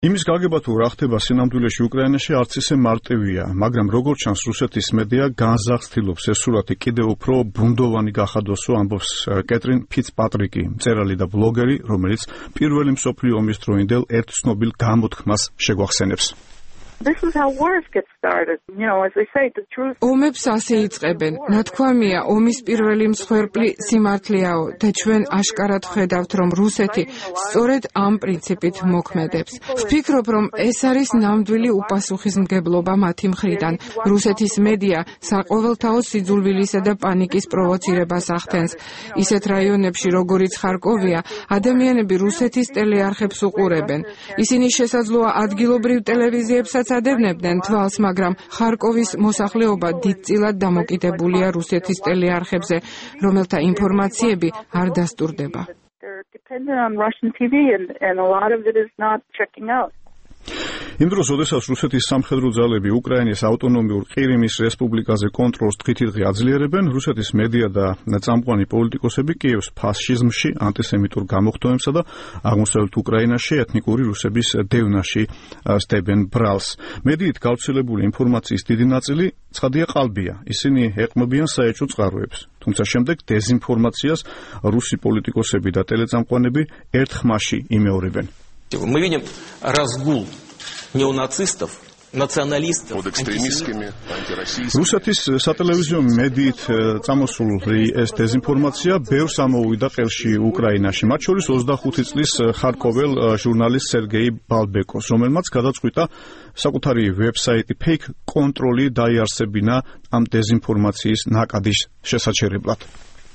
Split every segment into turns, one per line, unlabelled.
იმის გაგება თუ რა ხდება სინამდვილეში უკრაინაში არც ისე მარტივია, მაგრამ როგორც ჩანს რუსეთის მედია განზრახ ცდილობს ეს სურათი კიდევ უფრო ბუნდოვანი გახადოსო, ამბობს კეტრინ ფიცპატრიკი, მწერალი და ბლოგერი, რომელიც პირველი მსოფლიო ომის დროინდელ ერთ ცნობილ გამოთქმას შეგვახსენებს.
This is how wars get started. As they say, the truth.
ომებს ასე იწყებენ. ნათქვამია, ომის პირველი მსხვერპლი სიმართლეაო და ჩვენ აშკარად ხედავთ, რომ რუსეთი სწორედ ამ პრინციპით მოქმედებს. ვფიქრობ, რომ ეს არის ნამდვილი უპასუხისმგებლობა მათი მხრიდან. რუსეთის მედია საყოველთაო სიძულვილისა და პანიკის პროვოცირებას ახდენს. ისეთ რაიონებში, როგორიც ხარკოვია, ადამიანები რუსეთის ტელეარხებს უყურებენ. ისინი შესაძლოა ადგილობრივ ტელევიზიებსაც ადევნებდნენ თვალს, მაგრამ ხარკოვის მოსახლეობა დიდწილად დამოკიდებულია რუსეთის ტელეარხებზე, რომელთა ინფორმაციები არ დასტურდება.
იმ დროს, როდესაც რუსეთის სამხედრო ძალები უკრაინის ავტონომიურ ყირიმის რესპუბლიკაზე კონტროლს დღითიდღე აძლიერებენ, რუსეთის მედია და წამყვანი პოლიტიკოსები კიევს ფაშიზმში, ანტისემიტურ გამოხდომებსა და აღმოსავლეთ უკრაინაში ეთნიკური რუსების დევნაში სდებენ ბრალს. მედიით გავრცელებული ინფორმაციის დიდი ნაწილი ცხადია ყალბია. ისინი ეყრდნობიან საეჭვო წყაროებს. თუმცა შემდეგ დეზინფორმაციას რუსი პოლიტიკოსები და ტელეწამყვანები ერთ ხმაში იმეორებენ.
Мы видим разгул неонацистов, националистов,
რუსეთის სატელევიზიო მედიით წამოსული ეს დეზინფორმაცია ბევრს ამოუვიდა ყელში უკრაინაში, მათ შორის 25 წლის ხარკოվել ჟურნალისტ სერგეი ბალბეკოს, რომელმაც გადაწყვიტა საკუთარი ვებსაიტი Fake Control-ი დაიარსებინა ამ დეზინფორმაციის ნაკადის შესაჩერებლად.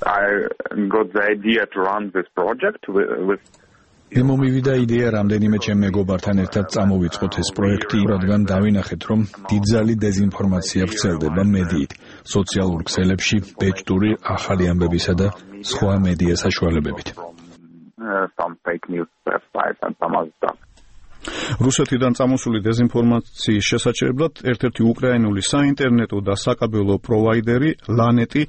I got the idea to run this project with
მომივიდა იდეა რამდენიმე ჩემ მეგობართან ერთად წამოვიწყოთ ეს პროექტი, რადგან დავინახეთ, რომ დიდძალი დეზინფორმაცია ვრცელდება მედიით, სოციალურ ქსელებში, ბეჭდური ახალი ამბებისა და სხვა მედია საშუალებებით.
რუსეთიდან წამოსული დეზინფორმაციის შესაჩერებლად ერთ-ერთი უკრაინული საინტერნეტო და საკაბელო პროვაიდერი ლანეტი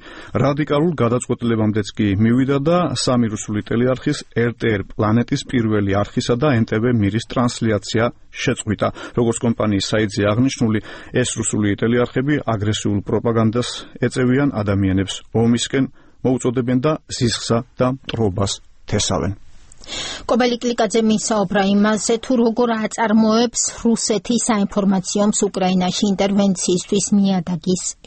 რადიკალურ გადაწყვეტილებამდეც კი მივიდა და სამი რუსული ტელეარხის RTR პლანეტის პირველი არხისა და NTV მირის ტრანსლაცია შეწყვიტა. როგორც კომპანიის საიტზე აღნიშნული, ეს რუსული ტელეარხები აგრესიულ პროპაგანდას ეწევიან ადამიანებს ომისკენ, მოუწოდებენ და ზიზღსა და მტრობას თესავენ.
კობელი კლიკაძე მისაუბრა იმაზე, თუ როგორ აწარმოებს რუსეთი საინფორმაციო ომს უკრაინაში ინტერვენციისთვის ნიადაგის